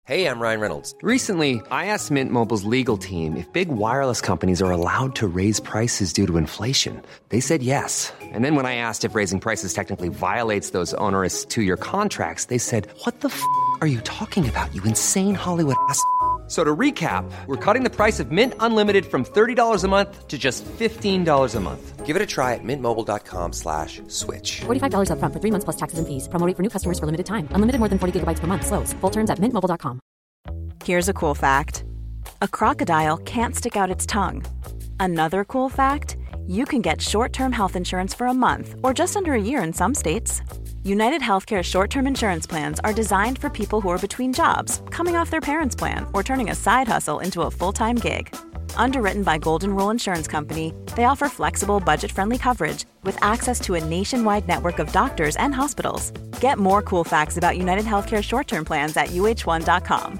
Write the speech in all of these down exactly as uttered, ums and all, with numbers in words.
Hey, I'm Ryan Reynolds. Recently, I asked Mint Mobile's legal team if big wireless companies are allowed to raise prices due to inflation. They said yes. And then when I asked if raising prices technically violates those onerous two-year contracts, they said, "What the f*** are you talking about, you insane Hollywood ass?" So to recap, we're cutting the price of Mint Unlimited from thirty dollars a month to just fifteen dollars a month. Give it a try at mintmobile.com slash switch. forty-five dollars up front for three months plus taxes and fees. Promo rate for new customers for limited time. Unlimited more than forty gigabytes per month. Slows full terms at mint mobile dot com. Here's a cool fact. A crocodile can't stick out its tongue. Another cool fact, you can get short-term health insurance for a month or just under a year in some states. United Healthcare short-term insurance plans are designed for people who are between jobs, coming off their parents' plan, or turning a side hustle into a full-time gig. Underwritten by Golden Rule Insurance Company, they offer flexible, budget-friendly coverage with access to a nationwide network of doctors and hospitals. Get more cool facts about United Healthcare short-term plans at u h one dot com.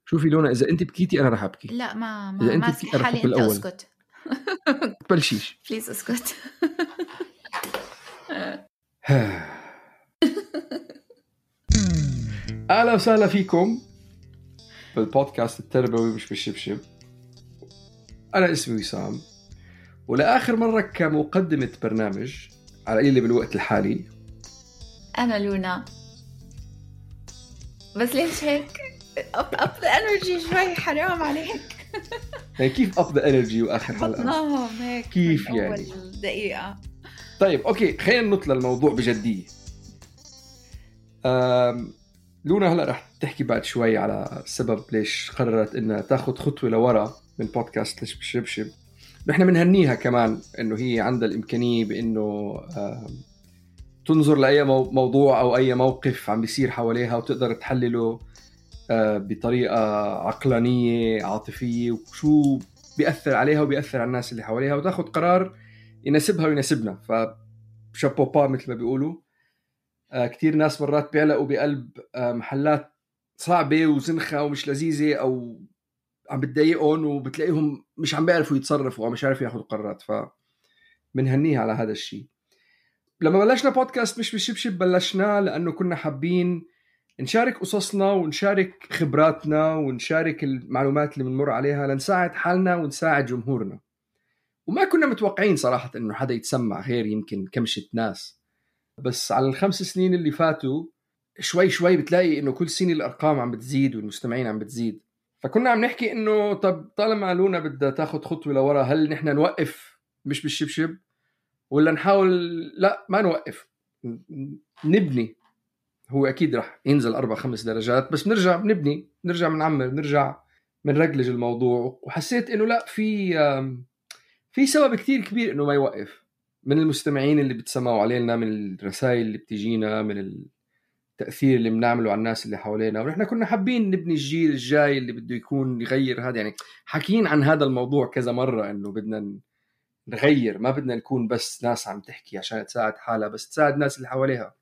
شوفي لونا، إذا أنت بكيتي أنا رح أبكي. لا ما ما إذا ما أنت بكيتي حالي، أنت أسكت. بلشيش. بليز أسكت. أهلا وسهلا فيكم بالبودكاست التربوي مش بالشبشب. أنا اسمي وسام، ولآخر مرة كمقدمة برنامج على قليل بالوقت الحالي أنا لونا. بس ليش هيك؟ up up the energy شوي، حرام عليك. يعني كيف up the energy وآخر حلقة؟ بطناهم هيك كيف يعني؟ أول دقيقة. طيب أوكي، خلينا نطلع الموضوع بجدية. أم... لونا هلأ رح تحكي بعد شوي على سبب ليش قررت إنها تاخد خطوة لورا من بودكاست ليش بشبشب. نحن منهنيها كمان إنه هي عندها الإمكانية بإنه أم... تنظر لأي مو... موضوع أو أي موقف عم بيصير حواليها وتقدر تحلله بطريقة عقلانية عاطفية وشو بيأثر عليها وبيأثر على الناس اللي حواليها، وتاخد قرار يناسبها ويناسبنا. فشابوبا مثل ما بيقولوا. كتير ناس مرات بيعلقوا بقلب محلات صعبة وزنخة ومش لذيذة أو عم بتضايقهم، وبتلاقيهم مش عم بيعرفوا يتصرفوا أو مش عارفين ياخدوا قرارات. فمنهنيها على هذا الشيء. لما بلشنا بودكاست مش بالشبشب، بلشنا لأنه كنا حابين نشارك قصصنا ونشارك خبراتنا ونشارك المعلومات اللي بنمر عليها لنساعد حالنا ونساعد جمهورنا. وما كنا متوقعين صراحة إنه حدا يتسمع غير يمكن كمشة ناس. بس على الخمس سنين اللي فاتوا شوي شوي بتلاقي إنه كل سنة الأرقام عم بتزيد والمستمعين عم بتزيد. فكنا عم نحكي إنه طب طالما لونا بدها تاخد خطوة لورا، هل نحن نوقف مش بالشبشب ولا نحاول لا ما نوقف نبني؟ هو أكيد رح ينزل أربع خمس درجات، بس نرجع نبني، نرجع منعمر، نرجع منرجلج الموضوع. وحسيت إنه لا، في في سبب كتير كبير إنه ما يوقف، من المستمعين اللي بتسمعوا علينا، من الرسائل اللي بتجينا، من التأثير اللي بنعمله على الناس اللي حوالينا. ونحن كنا حابين نبني الجيل الجاي اللي بده يكون يغير هذا. يعني حكيين عن هذا الموضوع كذا مرة إنه بدنا نغير، ما بدنا نكون بس ناس عم تحكي عشان تساعد حالها، بس تساعد الناس اللي حواليها.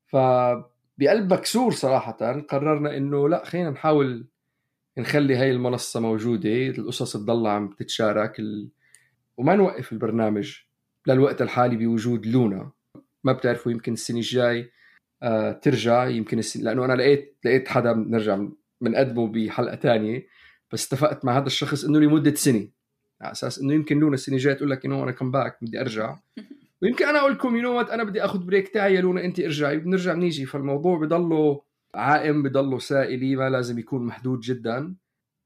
فبقلب مكسور صراحة قررنا إنه لا، خلينا نحاول نخلي هاي المنصة موجودة، القصص تضل عم تتشارك ال... وما نوقف البرنامج للوقت الحالي بوجود لونا. ما بتعرفوا، يمكن السنة الجاي آه ترجع، يمكن السنة، لأنه أنا لقيت لقيت حدا نرجع منقدمه بحلقة تانية، بس اتفقت مع هذا الشخص إنه لمدة سنة، على أساس إنه يمكن لونا السنة الجاي تقول لك إنه أنا كم باك بدي أرجع، ويمكن أنا أقول لكم ينوت أنا بدي أخذ بريك تاعي يا لونا أنت ارجعي، بنرجع نيجي. فالموضوع بضله عائم، بضله سائلي، ما لازم يكون محدود جدا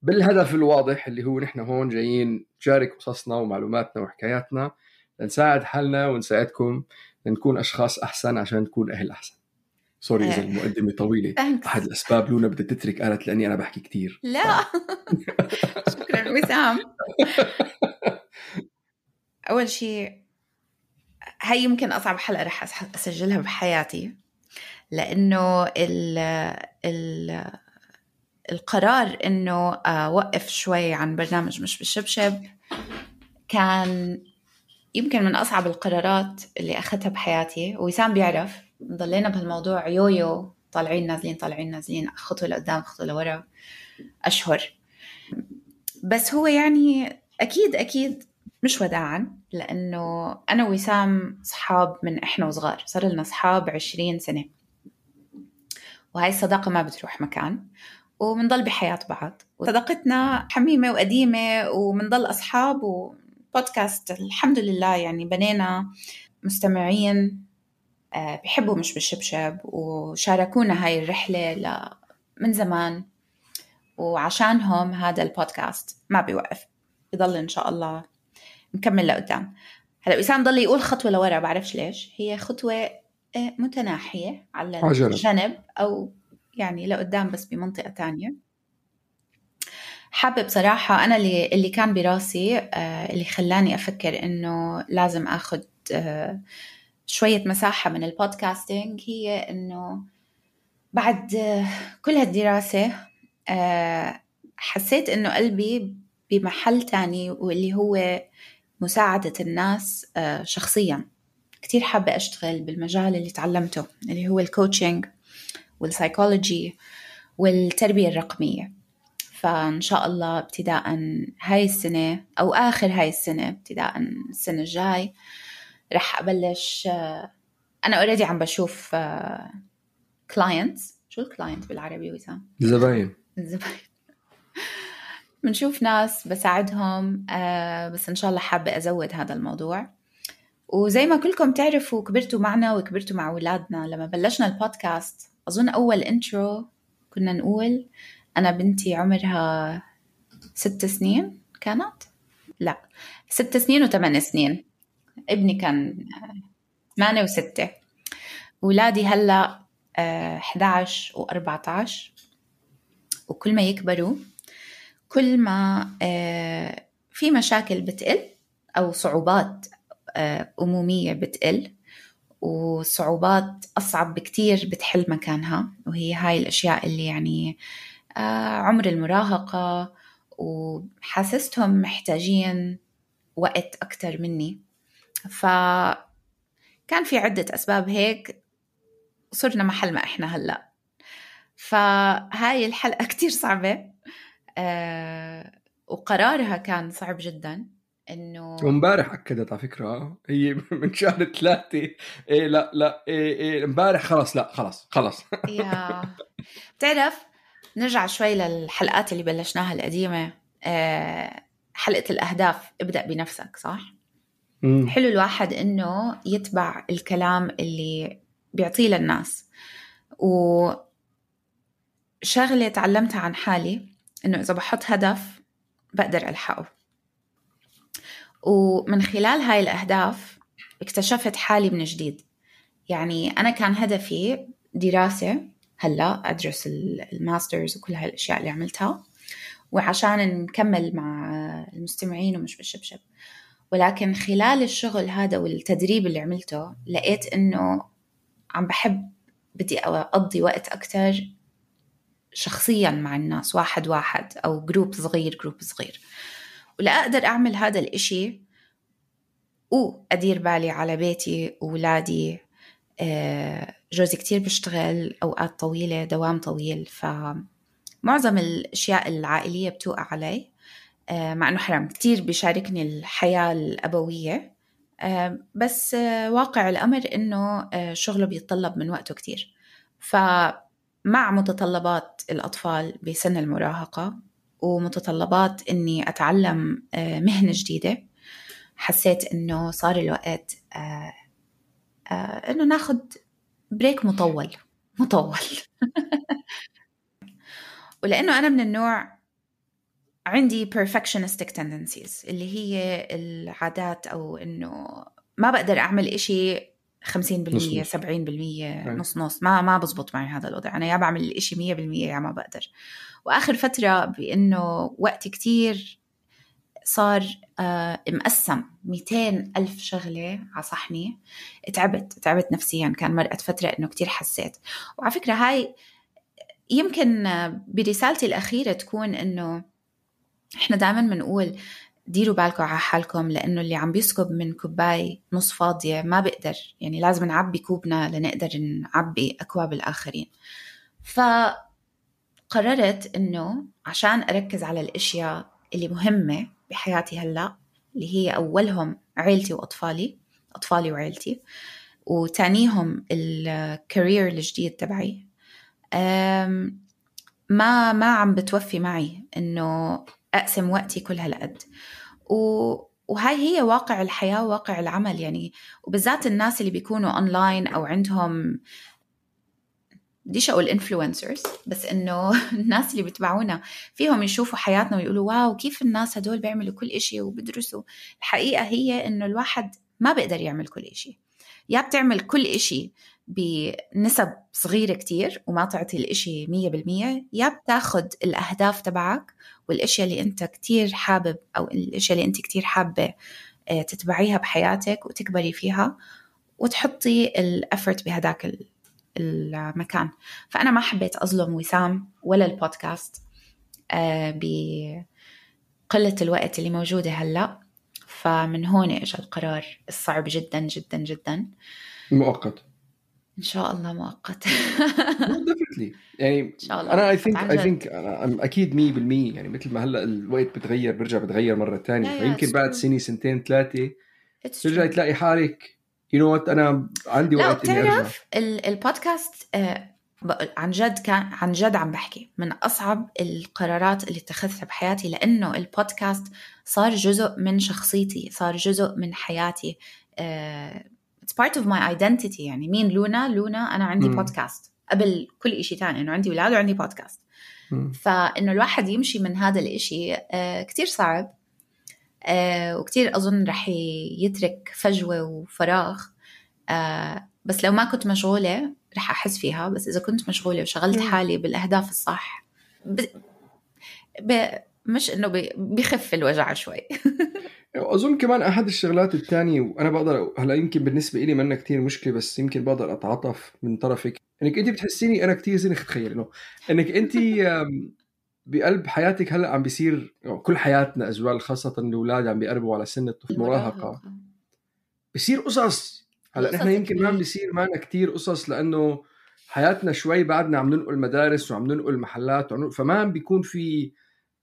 بالهدف الواضح اللي هو نحن هون جايين نشارك قصصنا ومعلوماتنا وحكاياتنا لنساعد حالنا ونساعدكم لنكون أشخاص أحسن عشان نكون أهل أحسن. سوري إذا المقدمة طويلة. أحد الأسباب لونا بدها تترك قالت لأني أنا بحكي كتير. لا شكرا وسام. أول شيء، هاي يمكن أصعب حلقة رح أسجلها بحياتي، لأنه ال ال القرار إنه أوقف شوي عن برنامج مش بالشبشب كان يمكن من أصعب القرارات اللي أخذتها بحياتي. وسام بيعرف ضلينا بهالموضوع يويو، طالعين نازلين طالعين نازلين، خطوة لقدام خطوة لورا أشهر. بس هو يعني أكيد أكيد مش وداعاً، لأنه أنا وسام صحاب من إحنا وصغار، صار لنا صحاب عشرين سنة. وهاي الصداقة ما بتروح مكان، ومنضل بحياة بعض، وصداقتنا حميمة وقديمة، ومنضل أصحاب. وبودكاست الحمد لله يعني بنينا مستمعين بيحبوا مش بالشبشب، وشاركونا هاي الرحلة من زمان، وعشانهم هذا البودكاست ما بيوقف، يضل إن شاء الله نكمل لقدام. هلأ وسام ضل يقول خطوة لورا، بعرفش ليش، هي خطوة متناحية على عجلة. الجنب أو يعني لقدام بس بمنطقة تانية. حابة بصراحة أنا اللي, اللي كان براسي اللي خلاني أفكر إنه لازم أخذ شوية مساحة من البودكاستينج، هي إنه بعد كل هالدراسة حسيت إنه قلبي بمحل تاني، واللي هو مساعدة الناس شخصياً. كتير حابة أشتغل بالمجال اللي تعلمته، اللي هو الكوتشنج والسايكولوجي والتربية الرقمية. فإن شاء الله ابتداء هاي السنة أو آخر هاي السنة ابتداء السنة الجاي رح أبلش. أنا أوريدي عم بشوف clients. شو الكلاينت بالعربي وسام؟ زباين. الزباين. بنشوف ناس بساعدهم، بس إن شاء الله حابة أزود هذا الموضوع. وزي ما كلكم تعرفوا كبرتوا معنا وكبرتوا مع أولادنا. لما بلشنا البودكاست أظن أول انترو كنا نقول أنا بنتي عمرها ست سنين كانت؟ لا ست سنين وثمان سنين. ابني كان ثمانية وستة. أولادي هلأ أحد عشر وأربعة عشر. وكل ما يكبروا كل ما في مشاكل بتقل أو صعوبات أمومية بتقل، وصعوبات أصعب بكتير بتحل مكانها. وهي هاي الأشياء اللي يعني عمر المراهقة، وحاسستهم محتاجين وقت أكتر مني. فكان في عدة أسباب هيك صرنا محل ما إحنا هلأ. فهاي الحلقة كتير صعبة، أه وقرارها كان صعب جدا. إنه ومبارح أكدت على فكرة هي من شهر ثلاثة. إيه لا لا إيه إيه مبارح خلاص لا خلاص خلاص. يا تعرف نرجع شوي للحلقات اللي بلشناها القديمة. أه حلقة الأهداف، ابدأ بنفسك، صح؟ مم. حلو الواحد إنه يتبع الكلام اللي بيعطيه للناس. وشغلة تعلمتها عن حالي إنه إذا بحط هدف بقدر ألحقه. ومن خلال هاي الأهداف اكتشفت حالي من جديد. يعني أنا كان هدفي دراسة، هلأ أدرس الماسترز وكل هاي الأشياء اللي عملتها، وعشان نكمل مع المستمعين ومش بالشبشب. ولكن خلال الشغل هذا والتدريب اللي عملته لقيت إنه عم بحب بدي أقضي وقت أكتر شخصيا مع الناس، واحد واحد أو جروب صغير جروب صغير. ولا أقدر أعمل هذا الإشي وأدير بالي على بيتي وولادي. جوزي كتير بشتغل أوقات طويلة، دوام طويل، فمعظم الأشياء العائلية بتوقع علي. مع أنه حرام كتير بيشاركني الحياة الأبوية، بس واقع الأمر أنه شغله بيتطلب من وقته كتير. فمع متطلبات الأطفال بسن المراهقة ومتطلبات أني أتعلم مهنة جديدة، حسيت أنه صار الوقت أنه ناخد بريك مطول مطول. ولأنه أنا من النوع عندي perfectionistic tendencies، اللي هي العادات، أو إنه ما بقدر أعمل إشي خمسين بالمية سبعين بالمية نص نص. ما ما بزبط معي هذا الوضع. أنا يا بعمل الإشي مية بالمية يا ما بقدر. وآخر فترة بأنه وقت كتير صار آه مقسم مئتين ألف شغلة على صحني. تعبت تعبت نفسيا. كان مرقت فترة إنه كتير حسيت. وعلى فكرة هاي يمكن برسالتي الأخيرة تكون إنه إحنا دائما بنقول ديروا بالكم على حالكم، لأنه اللي عم بيسكب من كوباي نص فاضية ما بقدر، يعني لازم نعبي كوبنا لنقدر نعبي أكواب الآخرين. فقررت إنه عشان أركز على الأشياء اللي مهمة بحياتي هلأ، اللي هي أولهم عيلتي وأطفالي، أطفالي وعيلتي، وتانيهم الكارير الجديد تبعي، ما ما عم بتوفي معي إنه أقسم وقتي كل هالقد. و وهاي هي واقع الحياة وواقع العمل يعني، وبالذات الناس اللي بيكونوا أونلاين أو عندهم بديش أقول إنفلونسرز، بس إنه الناس اللي بيتبعونا فيهم يشوفوا حياتنا ويقولوا واو كيف الناس هدول بيعملوا كل إشي وبدرسوا. الحقيقة هي إنه الواحد ما بيقدر يعمل كل إشي، يا بتعمل كل إشي بنسب صغيرة كتير وما تعطي الإشي مية بالمية، يا بتاخد الأهداف تبعك والإشياء اللي أنت كتير حابب أو الإشياء اللي أنت كتير حابة تتبعيها بحياتك وتكبري فيها وتحطي الأفرت بهداك المكان. فأنا ما حبيت أظلم وسام ولا البودكاست بقلة الوقت اللي موجودة هلأ، فمن هون إجا القرار الصعب جدا جدا جدا. مؤقت إن شاء الله مؤقت. definitely يعني إن شاء الله. أنا I think I think أنا أكيد مية بالمية يعني مثل ما هلأ الوقت بتغير برجع بتغير مرة تانية، فيمكن بعد سنة سنتين ثلاثة ترجع تلاقي حالك you know what أنا عندي وقت إني أرجع. البودكاست آه عن جد كان عن جد عم بحكي من أصعب القرارات اللي اتخذتها بحياتي، لأنه البودكاست صار جزء من شخصيتي، صار جزء من حياتي. آه it's part of my identity. يعني مين لونا؟ لونا أنا عندي م. بودكاست قبل كل إشي تاني، إنه عندي ولاد وعندي بودكاست. م. فإنه الواحد يمشي من هذا الإشي آه كتير صعب، آه وكتير أظن رح يترك فجوة وفراغ. آه بس لو ما كنت مشغولة رح أحس فيها، بس إذا كنت مشغولة وشغلت حالي بالأهداف الصح ب... ب... مش إنه ب... بيخف الوجع شوي. أظن كمان أحد الشغلات التانية، وأنا بقدر هلا يمكن بالنسبة إلي منا كتير مشكلة، بس يمكن بقدر أتعاطف من طرفك إنك أنت بتحسيني أنا كتير زين تخيل إنه إنك أنت بقلب حياتك هلا عم بيصير كل حياتنا أزوال، خاصة الأولاد عم بيقربوا على سن المراهقة بيصير قصص. هلا نحن يمكن ما عم بيصير معنا كتير قصص لأنه حياتنا شوي بعدنا عم ننقل مدارس وعم ننقل محلات وعم ننقل، فما عم بيكون في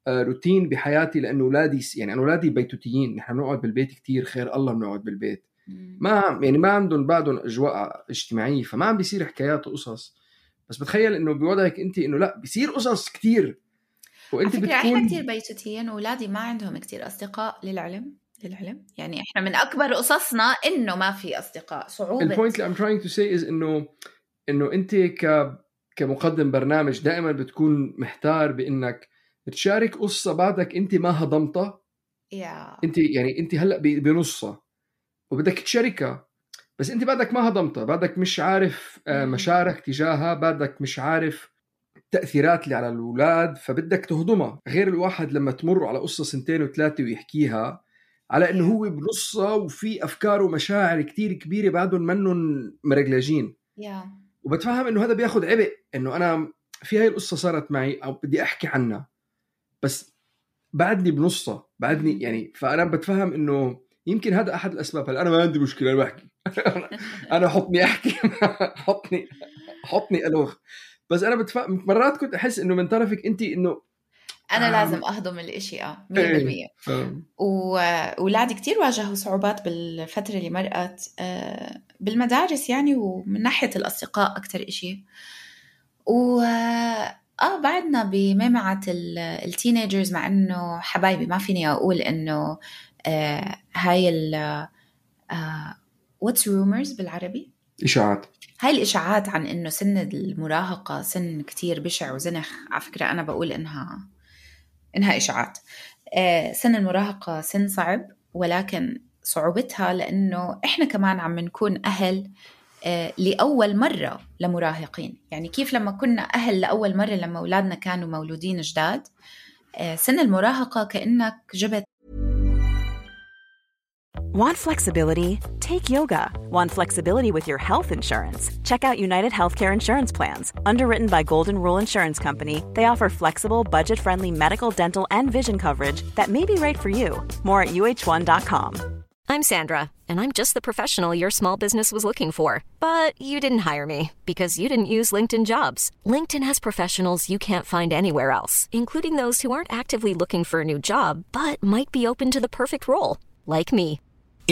روتين بحياتي، لأنه أولادي يعني أنا أولادي بيتوتيين، نحن بنقعد بالبيت كتير، خير الله بنقعد بالبيت، ما يعني ما عندهم بعدهم أجواء اجتماعية، فما عم بيصير حكايات وقصص. بس بتخيل إنه بوضعك أنت إنه لا بيصير قصص كتير، وأنت بتكون إحنا كتير بيتوتيين، وأولادي ما عندهم كتير أصدقاء للعلم للعلم يعني إحنا من أكبر قصصنا إنه ما في أصدقاء. صعوبة البوينت اللي I'm trying to say is إنه إنه أنت ك كمقدم برنامج دائما بتكون محتار بإنك تشارك قصة بعدك أنت ما هضمتها. yeah. أنت يعني أنت هلأ بنصها وبدك تشاركها، بس أنت بعدك ما هضمتها، بعدك مش عارف مشاعرك تجاهها، بعدك مش عارف تأثيرات اللي على الأولاد، فبدك تهضمها. غير الواحد لما تمر على قصة سنتين وثلاثة ويحكيها على إنه هو بنصها وفي أفكار ومشاعر كتير كبيرة بعدهم منهم مرجلاجين. yeah. وبتفهم إنه هذا بياخد عبء، إنه أنا في هاي القصة صارت معي أو بدي أحكي عنها، بس بعدني بنصها بعدني يعني. فأنا بتفهم إنه يمكن هذا أحد الأسباب. هل أنا ما عندي مشكلة أنا بحكي أنا حطني أحكي حطني حطني ألوخ، بس أنا بتفهم مرات كنت أحس إنه من طرفك أنت إنه أنا آه لازم أهضم الإشي آه مية بالمية. وولادي كتير واجهوا صعوبات بالفترة اللي مرقت آه بالمدارس يعني، ومن ناحية الأصدقاء أكتر إشي. و آه بعدنا بميمعة التينيجرز، مع إنه حبايبي ما فيني أقول إنه آه هاي ال آه what's rumors بالعربي؟ إشاعات. هاي الإشاعات عن إنه سن المراهقة سن كتير بشع وزنخ. على فكرة أنا بقول إنها إنها إشاعات. آه سن المراهقة سن صعب، ولكن صعوبتها لأنه إحنا كمان عم نكون أهل آه لأول مرة لمراهقين. يعني كيف لما كنا أهل لأول مرة لما أولادنا كانوا مولودين جداد، آه سن المراهقة كأنك جبت. Want flexibility? Take yoga. Want flexibility with your health insurance? Check out United Healthcare Insurance Plans. Underwritten by Golden Rule Insurance Company, they offer flexible, budget-friendly medical, dental, and vision coverage that may be right for you. More at U H one dot com. I'm Sandra, and I'm just the professional your small business was looking for. But you didn't hire me because you didn't use LinkedIn Jobs. LinkedIn has professionals you can't find anywhere else, including those who aren't actively looking for a new job, but might be open to the perfect role, like me.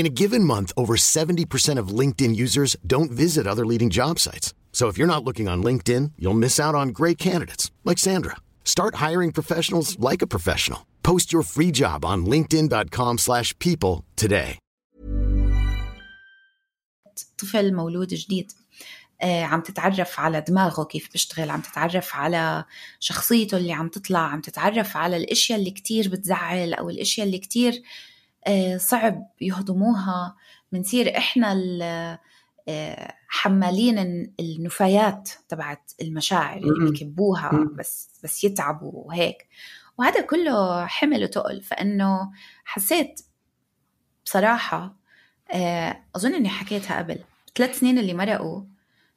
In a given month, over seventy percent of LinkedIn users don't visit other leading job sites. So if you're not looking on LinkedIn, you'll miss out on great candidates like Sandra. Start hiring professionals like a professional. Post your free job on linkedin dot com slash people today. طفل مولود جديد آه، عم تتعرف على دماغه كيف بيشتغل، عم تتعرف على شخصيته اللي عم تطلع، عم تتعرف على الاشياء اللي كتير بتزعل او الاشياء اللي كتير آه، صعب يهضموها. منصير احنا حمالين النفايات تبعت المشاعر اللي بيكبوها بس بس يتعبوا وهيك، وهذا كله حمل وتقل. فانه حسيت بصراحه آه، اظن اني حكيتها قبل، ثلاث سنين اللي مرقوا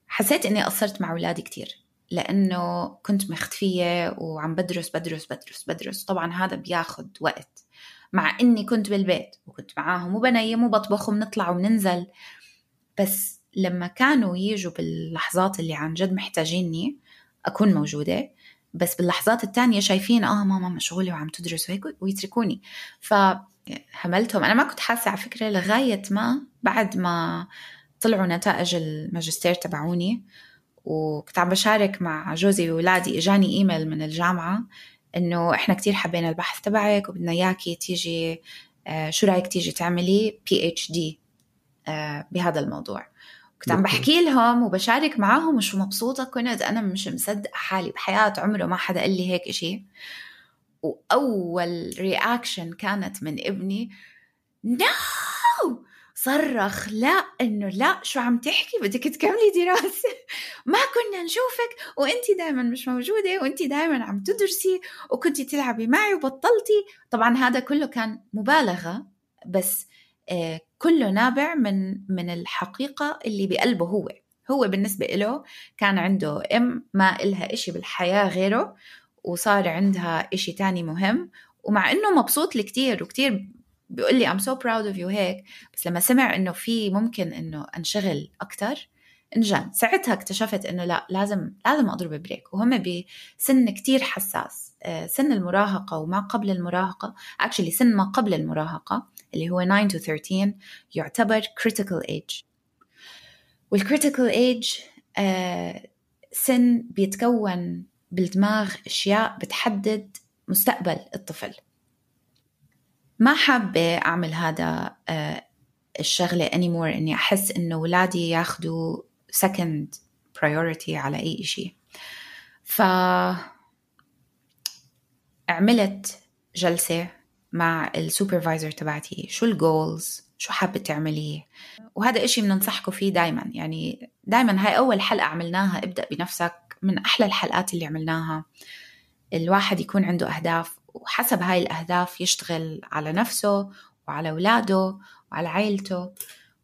حسيت اني قصرت مع اولادي كتير، لانه كنت مختفيه وعم بدرس بدرس بدرس بدرس. طبعا هذا بياخد وقت، مع اني كنت بالبيت وكنت معاهم وبنيم وبطبخ وبنطلع وبننزل. بس لما كانوا ييجوا باللحظات اللي عن جد محتاجيني اكون موجوده، بس باللحظات التانية شايفين اه ماما مشغوله وعم تدرس وهيك ويتركوني. فهملتهم. انا ما كنت حاسه على فكره لغايه ما بعد ما طلعوا نتائج الماجستير تبعوني، وكنت عم بشارك مع جوزي وولادي، اجاني ايميل من الجامعه انه احنا كتير حبينا البحث تبعك وبدنا اياكي تيجي آه شو رايك تيجي تعملي بي اتش دي آه بهذا الموضوع. كنت عم بحكي لهم وبشارك معاهم وشو مبسوطه كنت. انا مش مصدق حالي بحياه، عمره ما حدا قال لي هيك إشي. واول رياكشن كانت من ابني نو، صرخ لا، انه لا شو عم تحكي، بدك تكملي دراسة، ما كنا نشوفك وانتي دايما مش موجودة وانتي دايما عم تدرسي وكنتي تلعبي معي وبطلتي. طبعا هذا كله كان مبالغة، بس آه كله نابع من من الحقيقة اللي بقلبه. هو هو بالنسبة له كان عنده ام ما إلها إشي بالحياة غيره، وصار عندها إشي تاني مهم، ومع إنه مبسوط لي كتير وكتير بيقول لي I'm so proud of you هيك، بس لما سمع إنه في ممكن إنه أنشغل أكتر انجن. ساعتها اكتشفت إنه لا، لازم لازم أضرب بريك. وهم بسن كتير حساس، سن المراهقة وما قبل المراهقة، actually سن ما قبل المراهقة اللي هو nine to thirteen يعتبر critical age. والcritical age آه سن بيتكون بالدماغ أشياء بتحدد مستقبل الطفل. ما حابة أعمل هذا آه الشغلة anymore، إني أحس إنه ولادي ياخدوا second priority على أي إشي. فعملت جلسة مع السوبرفايزر تبعتي، شو الجولز، شو حابة تعمليه. وهذا إشي بننصحكم فيه دايما، يعني دايما هاي أول حلقة عملناها ابدأ بنفسك، من أحلى الحلقات اللي عملناها. الواحد يكون عنده أهداف، وحسب هاي الأهداف يشتغل على نفسه وعلى أولاده وعلى عائلته.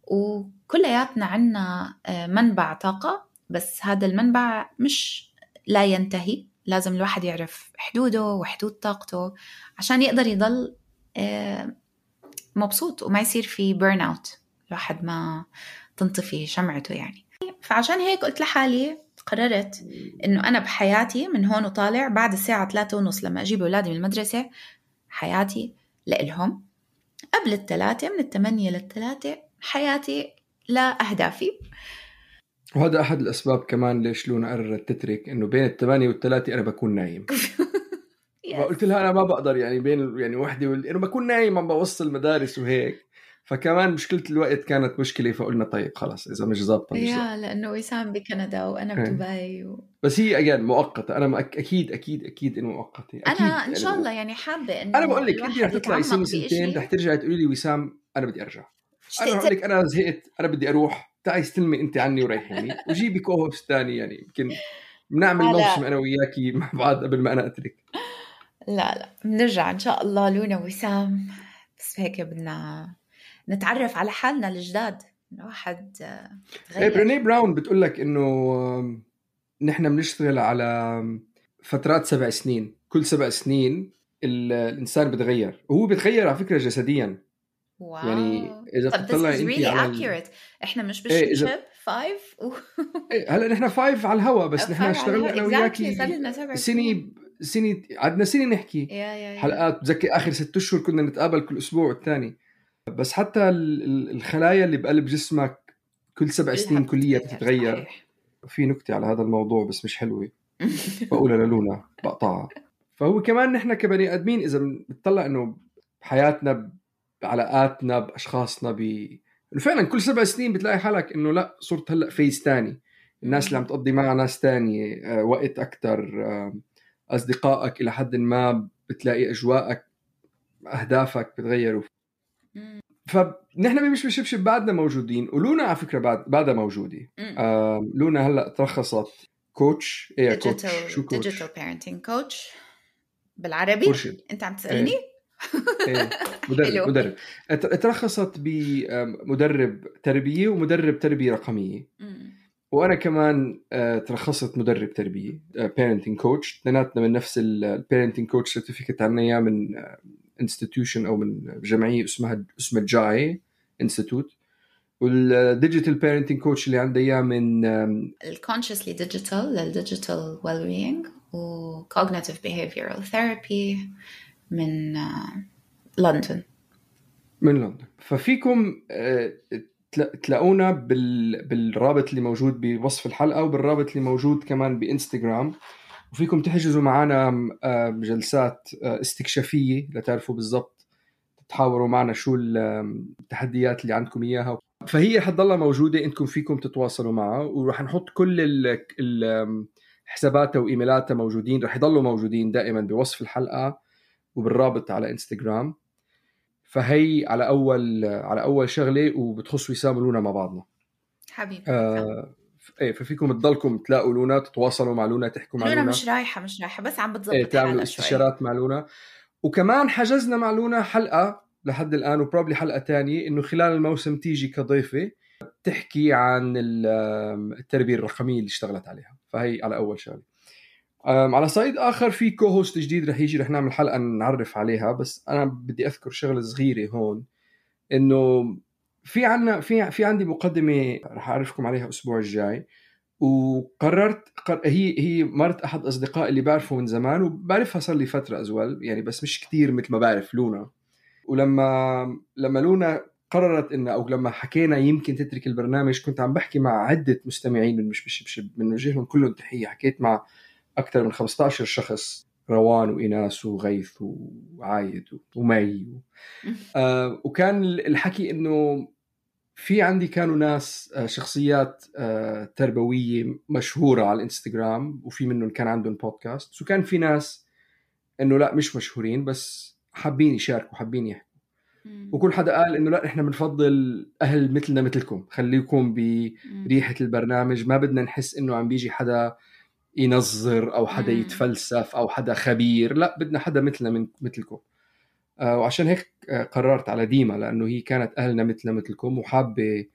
وكلياتنا عنا منبع طاقة، بس هذا المنبع مش لا ينتهي. لازم الواحد يعرف حدوده وحدود طاقته عشان يقدر يضل مبسوط وما يصير في بيرن اوت، الواحد ما تنطفي شمعته يعني. فعشان هيك قلت لحالي، قررت إنه أنا بحياتي من هون وطالع بعد الساعة ثلاثة ونص لما أجيب أولادي من المدرسة، حياتي لإلهم. قبل الثلاثة، من الثمانية للثلاثة، حياتي لأهدافي. وهذا أحد الأسباب كمان ليش لونا قررت تترك، إنه بين الثمانية والثلاثة أنا بكون نايم. فقلت لها أنا ما بقدر يعني بين يعني وحدي وال... إنه بكون نايم عم بوصل المدارس وهيك. فكمان مشكلة الوقت كانت مشكلة، فقلنا طيب خلاص إذا مش ضابطة مش يا لأنه وسام بكندا وأنا بدبي و... بس هي أجان مؤقتة. أنا ما أكيد أكيد أكيد إنه مؤقتة. أكيد أنا إن شاء الله يعني حابة إنه أنا بقول لك أنت رح تطلعي سنة سنتين رح ترجعي تقولي لي وسام أنا بدي أرجع. أنا بقول لك أنا زهقت، أنا بدي أروح، تعي استلمي أنت عني وريحيني وجيبي كوهوبس تاني، يعني يمكن بنعمل موسم أنا وياكي مع بعض قبل ما أنا أترك. لا لا بنرجع إن شاء الله لونا وسام، بس هيك بدنا نتعرف على حالنا الجداد. الواحد تغير. بريني براون بتقول لك إنه نحن بنشتغل على فترات سبع سنين، كل سبع سنين الإنسان بتغير، وهو بتغير على فكرة جسديا. واو. يعني إذا تطلعي أنت really على accurate. إحنا مش بالشيب فايف و... هلا نحن فايف على الهوا، بس نحن اشتغلنا أنا وياكي سنة سنة سنة عدنا سنة نحكي يا يا يا. حلقات. بذكر آخر ست أشهر كنا نتقابل كل أسبوع والتاني. بس حتى الخلايا اللي بقلب جسمك كل سبع سنين كلية تتغير. في نكتة على هذا الموضوع بس مش حلوة بقولها للونا بقطعها. فهو كمان نحن كبني آدمين إذا بنطلع إنه بحياتنا بعلاقاتنا بأشخاصنا ب إنه فعلا كل سبع سنين بتلاقي حالك إنه لا صرت هلأ فيز تاني، الناس اللي عم تقضي معها ناس تانية، آه، وقت أكتر، آه، أصدقائك إلى حد ما بتلاقي أجواءك أهدافك بتغيروا. فنحن مش بشبشب بعدنا موجودين، ولونا على فكرة بعد بعدها موجودة. آه، لونا هلأ ترخصت كوتش. إيه كوتش؟ شو كوتش؟ ديجيتال بيرنتينج كوتش بالعربي. مرشد. أنت عم تسألني؟ إيه. مدرب مدرب ترخصت بمدرب تربية ومدرب تربية رقمية. مم. وأنا كمان ترخصت مدرب تربية parenting coach، اثنيناتنا من نفس ال parenting coach certificate عنا إياه من institution أو من جمعية اسمها اسمها جاي institute. والdigital parenting coach اللي عندي إياه من consciously digital للdigital well-being و cognitive behavioral therapy من لندن. من لندن. ففيكم تلاقونا بالرابط اللي موجود بوصف الحلقة وبالرابط اللي موجود كمان بإنستغرام، وفيكم تحجزوا معنا جلسات استكشافية لتعرفوا بالضبط تتحاوروا معنا شو التحديات اللي عندكم إياها. فهي حتضلها موجودة، إنكم فيكم تتواصلوا معها، ورح نحط كل حساباتها وإيميلاتها موجودين، رح يضلوا موجودين دائما بوصف الحلقة وبالرابط على إنستغرام. فهي على أول على أول شغلة وبتخصوا وسام لونا مع بعضنا حبيبي. آه إيه ففيكم تضلكم تلاقوا لونا، تتواصلوا مع لونا، تحكوا مع لونا. لونا مش رايحة مش رايحة بس عم بتضبط إيه تعملوا استشارات مع لونا. وكمان حجزنا مع لونا حلقة لحد الآن وبروبلي حلقة تانية إنه خلال الموسم تيجي كضيفة تحكي عن التربية الرقمية اللي اشتغلت عليها. فهي على أول شغلة. على صعيد آخر في كوهوست جديد رح يجي، رح نعمل حلقة نعرف عليها، بس أنا بدي أذكر شغلة صغيرة هون، إنه في عنا في في عندي مقدمة رح أعرفكم عليها الأسبوع الجاي. وقررت قر... هي هي مرت أحد أصدقائي اللي بعرفه من زمان وبعرفها صار لي فترة أزول يعني، بس مش كتير مثل ما بعرف لونا. ولما لما لونا قررت إنه أو لما حكينا يمكن تترك البرنامج، كنت عم بحكي مع عدة مستمعين من مش بشبشب، من وجههم كلهم تحية. حكيت مع أكثر من خمسة عشر شخص، روان وإناس وغيث وعايد ومي و... آه وكان الحكي إنه في عندي كانوا ناس آه شخصيات آه تربوية مشهورة على الإنستغرام، وفي منهم كان عندهم بودكاست، وكان في ناس إنه لا مش مشهورين بس حابين يشاركوا حابين يحكوا. وكل حدا قال إنه لا إحنا بنفضل أهل مثلنا مثلكم، خليكم بريحة البرنامج، ما بدنا نحس إنه عم بيجي حدا ينظر أو حدا يتفلسف أو حدا خبير، لا بدنا حدا مثلنا من مثلكم. آه وعشان هيك آه قررت على ديما، لأنه هي كانت أهلنا مثلنا مثلكم، وحابة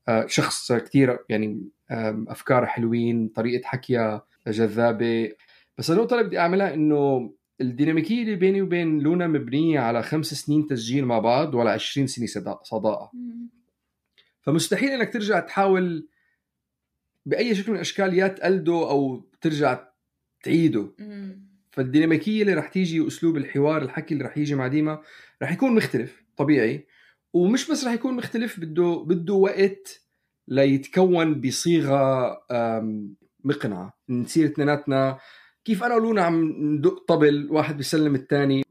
آه شخص كتير يعني آه أفكار حلوين، طريقة حكيها جذابة. بس النقطة اللي بدي أعملها إنه الديناميكية اللي بيني وبين لونا مبنية على خمس سنين تسجيل مع بعض وعلى عشرين سنة صداقة. فمستحيل إنك ترجع تحاول بأي شكل من الأشكال يا تقلده أو ترجع تعيده. فالديناميكية اللي رح تيجي وأسلوب الحوار الحكي اللي رح يجي مع ديما رح يكون مختلف طبيعي، ومش بس رح يكون مختلف، بده بده وقت ليتكون بصيغة مقنعة. نصير اثنيناتنا كيف أنا ولونا عم ندق طبل واحد بيسلم الثاني،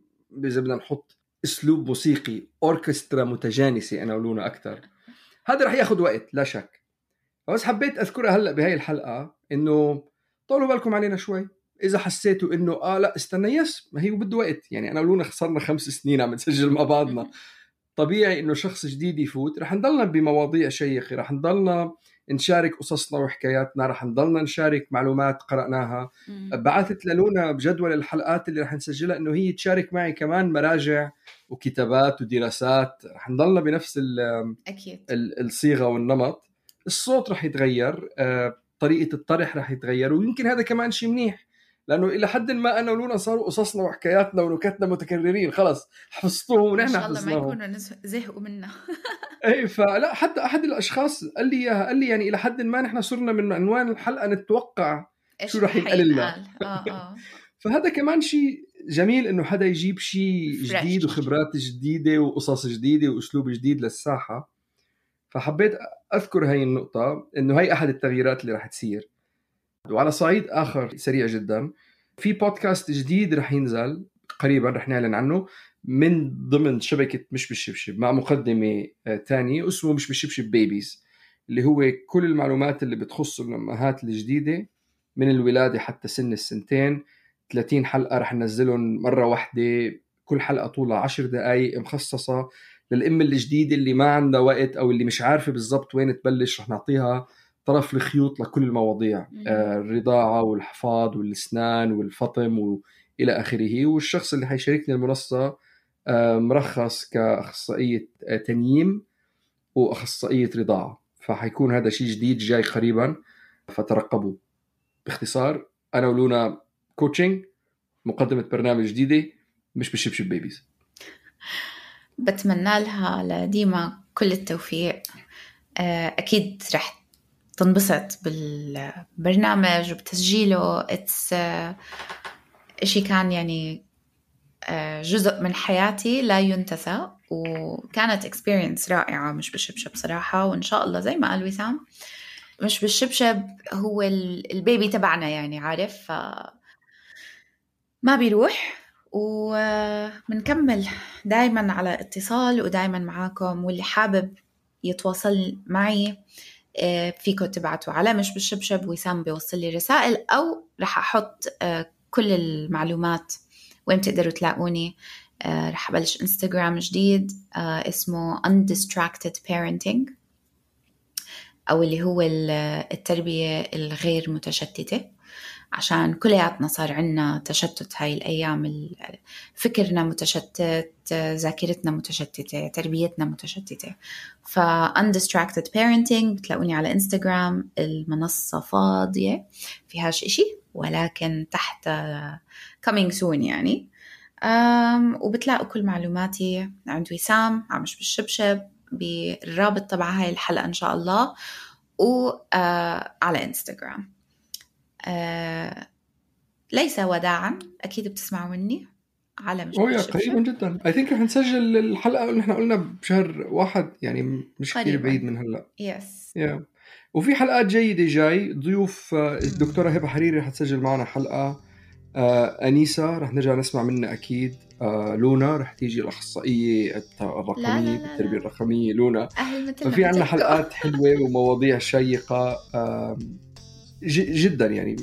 إذا بدنا نحط أسلوب موسيقي أوركسترا متجانسة أنا ولونا أكتر، هذا رح ياخد وقت لا شك. بس حبيت أذكرها هلأ بهاي الحلقة إنه طولوا بالكم علينا شوي. إذا حسيتوا إنه آه لا استنى يس ما هي بده وقت، يعني أنا ولونا خسرنا خمس سنين عم نسجل مع بعضنا، طبيعي إنه شخص جديد يفوت. رح نضلنا بمواضيع شيقة، رح نضلنا نشارك قصصنا وحكاياتنا، رح نضلنا نشارك معلومات قرأناها. بعثت للونا بجدول الحلقات اللي رح نسجلها إنه هي تشارك معي كمان مراجع وكتابات ودراسات. رح نضلنا بنفس الصيغة والنمط. الصوت رح يتغير، طريقة الطرح رح يتغير، ويمكن هذا كمان شيء منيح، لأنه إلى حد ما أنا ولونا صاروا قصصنا وحكاياتنا ونكتنا متكررين، خلاص حفظتوهم ونحن حفظناهم. إن شاء الله ما يكونوا زهقوا منا. أي فلا، حتى أحد الأشخاص قال لي قال لي يعني إلى حد ما نحن صرنا من عنوان الحلقة نتوقع شو رح ينقال لنا. آه آه. فهذا كمان شيء جميل، إنه حدا يجيب شيء جديد وخبرات جديدة وقصص جديدة وأسلوب جديد للساحة. فحبيت أذكر هاي النقطة، إنه هاي أحد التغييرات اللي راح تصير. وعلى صعيد آخر سريع جدا، في بودكاست جديد رح ينزل قريبا، رح نعلن عنه من ضمن شبكة مش بالشبشب مع مقدمة تانية اسمه مش بالشبشب بيبيز، اللي هو كل المعلومات اللي بتخص الأمهات الجديدة من الولادة حتى سن السنتين. ثلاثين حلقة رح ننزلهم مرة واحدة، كل حلقة طولها عشر دقايق، مخصصة للأم الجديدة اللي ما عندها وقت أو اللي مش عارفة بالضبط وين تبلش. رح نعطيها طرف الخيوط لكل المواضيع، آه الرضاعة والحفاض والأسنان والفطم وإلى آخره. والشخص اللي حيشاركني المنصة آه مرخص كأخصائية آه تنييم وأخصائية رضاعة، فحيكون هذا شيء جديد جاي قريبا، فترقبوا. باختصار أنا ولونا كوتشنج، مقدمة برنامج جديدة مش بالشبشب بيبيز. بتمنى لها لديما كل التوفيق. أكيد رح تنبسط بالبرنامج وبتسجيله. It's إشي كان يعني جزء من حياتي لا ينتسى، وكانت experience رائعة. مش بالشبشب صراحة، وإن شاء الله زي ما قال وسام مش بالشبشب هو البيبي تبعنا، يعني عارف ما بيروح. ومنكمل دايما على اتصال ودايما معاكم، واللي حابب يتواصل معي فيكم تبعتوا على مش بالشبشب، وسام بيوصل لي رسائل، أو رح أحط كل المعلومات وين تقدروا تلاقوني. رح أبلش إنستغرام جديد اسمه Undistracted Parenting، أو اللي هو التربية الغير متشتتة، عشان كلياتنا صار عنا تشتت هاي الأيام. فكرنا متشتت، ذاكرتنا متشتتة، تربيتنا متشتتة. ف Undistracted Parenting بتلاقوني على إنستغرام. المنصة فاضية فيهاش إشي، ولكن تحت coming soon يعني. وبتلاقوا كل معلوماتي عند وسام عمش بالشبشب بالرابط تبع هاي الحلقة إن شاء الله، وعلى إنستغرام. آه، ليس وداعا، أكيد بتسمعوا مني على مش بالشبشب. قريبا جدا. I think رح نسجل الحلقة اللي احنا قلنا بشهر واحد، يعني مش كتير بعيد من هلأ. يس. yeah. وفي حلقات جيدة جاي. ضيوف الدكتورة هبة حريري رح تسجل معنا حلقة. آه، أنيسة رح نرجع نسمع منها أكيد. آه، لونا رح تيجي الأخصائية الرقمية بالتربية الرقمية لونا. ففي عنا حلقات حلوة ومواضيع شيقة آه، جدا، يعني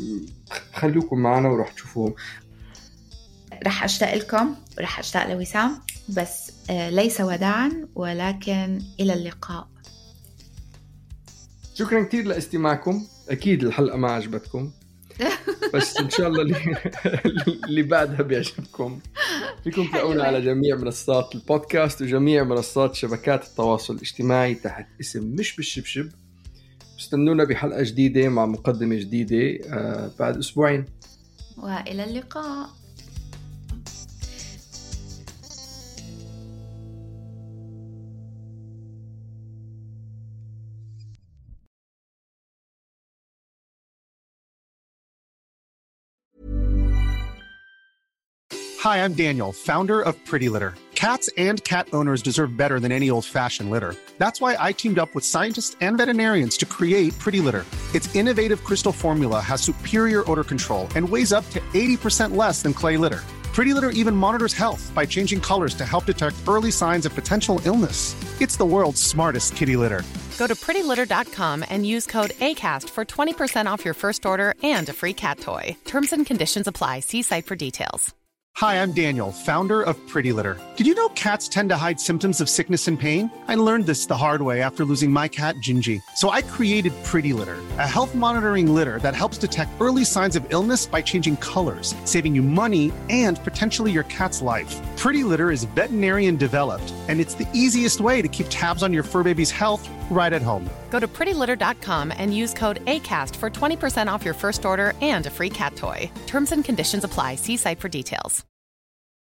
خلوكم معنا ورح تشوفوهم. رح أشتاق لكم ورح أشتاق لوسام، بس ليس وداعا ولكن إلى اللقاء. شكرا كتير لاستماعكم. أكيد الحلقة ما عجبتكم، بس إن شاء الله اللي, اللي بعدها بيعجبكم. فيكم تلاقونا على جميع منصات البودكاست وجميع منصات شبكات التواصل الاجتماعي تحت اسم مش بالشبشب. استنونا بحلقة جديدة مع مقدمة جديدة آه بعد أسبوعين، وإلى اللقاء. Hi, I'm Daniel, founder of Pretty Litter. Cats and cat owners deserve better than any old-fashioned litter. That's why I teamed up with scientists and veterinarians to create Pretty Litter. Its innovative crystal formula has superior odor control and weighs up to eighty percent less than clay litter. Pretty Litter even monitors health by changing colors to help detect early signs of potential illness. It's the world's smartest kitty litter. Go to pretty litter dot com and use code ACAST for twenty percent off your first order and a free cat toy. Terms and conditions apply. See site for details. Hi, I'm Daniel, founder of Pretty Litter. Did you know cats tend to hide symptoms of sickness and pain? I learned this the hard way after losing my cat, Gingy. So I created Pretty Litter, a health monitoring litter that helps detect early signs of illness by changing colors, saving you money and potentially your cat's life. Pretty Litter is veterinarian developed, and it's the easiest way to keep tabs on your fur baby's health right at home. Go to pretty litter dot com and use code ACAST for twenty percent off your first order and a free cat toy. Terms and conditions apply. See site for details.